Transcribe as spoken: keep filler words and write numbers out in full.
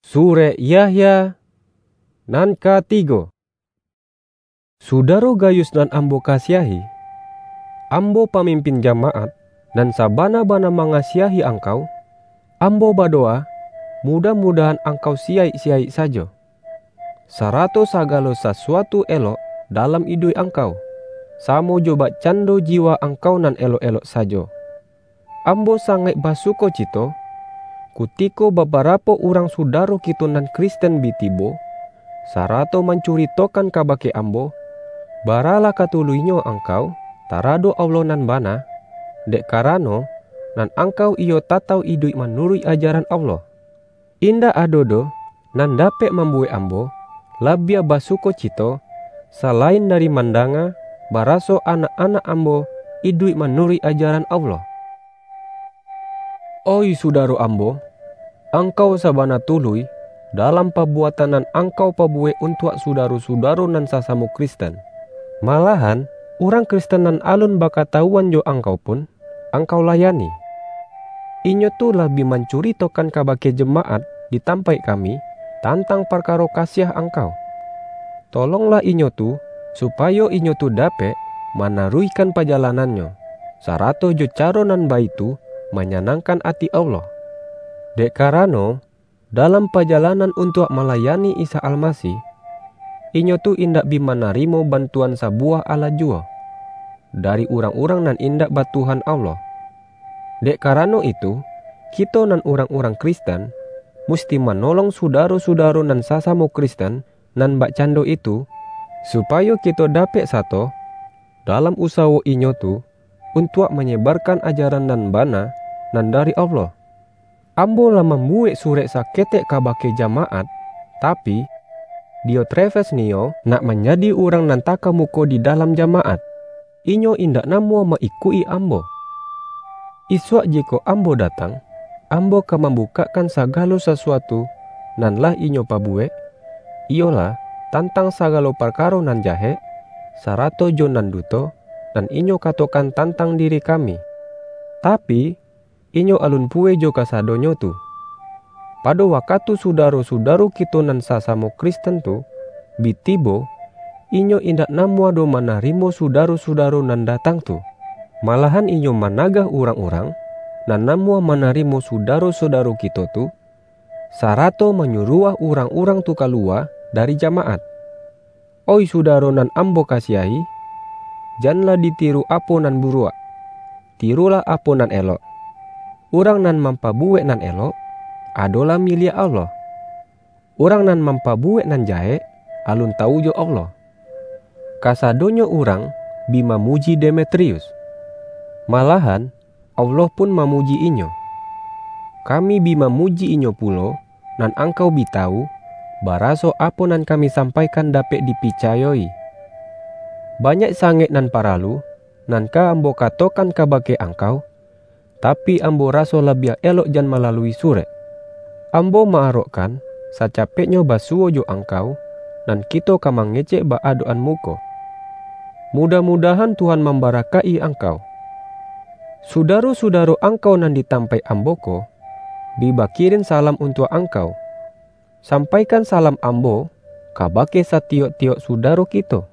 Surek Yahya nan katigo. Sudaro Gayus nan ambo kasiahi, ambo pamimpin jamaat, nan sabana-bana mangasiahi angkau, ambo badowa, mudah-mudahan angkau siyaik-siyaik sajo, sarato sagalo sasuatu elok dalam iduik angkau, samo jo bakcando jiwa angkau nan elok-elok sajo. Ambo sangaik basukocito, kutiko babarapo urang sudaro kito nan Kristen bi tibo, sarato mancuritokan kabake ambo, baralah katuluihnyo angkau taradok Allah nan bana, dek karano nan angkau iyo tatau iduik manuruik ajaran Allah. Indak ado doh nan dapek mambuwek ambo labiah basukocito, salain dari mandanga baraso anak-anak ambo iduik manuruik ajaran Allah. Oih sudaro ambo, angkau sabana tuluih dalam pabuatan nan angkau pabuwek untuak sudaro-sudaro nan sasamo Kristen. Malahan, urang Kristen nan alun bakatawuan jo angkau pun, angkau layani. Inyo tu lah bi mancuritokan kabake jamaat di tampaik kami tantang parkaro kasiah angkau. Tolonglah inyo tu, supayo inyo tu dapek manaruihkan pajalanannyo, sarato jo caro nan baitu manyanangkan ati Allah. Dek karano, dalam pajalanan untuak malayani Isa Almasih, inyo tu indak bi manarimo bantuan sabuwah alah juwo dari urang-urang nan indak ba Tuhan Allah. Dek karano itu, kito nan urang-urang Kristen, musti manolong sudaro-sudaro nan sasamo Kristen nan bakcando itu, supayo kito dapek sato dalam usawo inyo tu untuak manyebarkan ajaran nan bana nan dari Allah. Ambo lah mambuwek surek saketek kabake jamaat, tapi, Diotrefes nio nak manjadi urang nan takamuko di dalam jamaat. Inyo indak namuah ma-ikuik-i ambo. Isuak jikok ambo datang, ambo ka mambukakkan sagalo sasuatu nan lah inyo pabuwek, iyolah, tantang sagalo parkaro nan jahek, sarato jo nan duto, nan inyo katokan tantang diri kami. Tapi, inyo alun puweh jo kasadonyo tu. Pado wakatu sudaro-sudaro kito nan sasamo Kristen tu bi tibo, inyo indak namuah doh manarimo sudaro-sudaro nan datang tu. Malahan inyo managah urang-urang nan namuah manarimo sudaro-sudaro kito tu, sarato manyuruah urang-urang tu kaluwa dari jamaat. Oih sudaro nan ambo kasiahi, janlah ditiru apo nan buruak, tirulah apo nan elok. Urang nan mampabuwek nan elok, adolah miliak Allah. Urang nan mampabuwek nan jahek, alun tawu jo Allah. Kasadonyo urang bi mamuji Demetrius. Malahan, Allah pun mamuji inyo. Kami bi mamuji inyo pulo, nan angkau bi tawu, baraso apo nan kami sampaikan dapek dipicayo-i. Banyak sangaik nan paralu, nan ka ambo katokan kabake angkau, tapi ambo raso labiah elok jan malalui surek. Ambo ma-arokkan, sacapeknyo basuwo jo angkau, nan kito ka mangecek ba-adok-an muko. Mudah-mudahan Tuhan mambarakaik-i angkau. Sudaro-sudaro angkau nan di tampaik ambo ko, bi bakirin salam untuak angkau. Sampaikan salam ambo kabake satiyok-tiyok sudaro kito.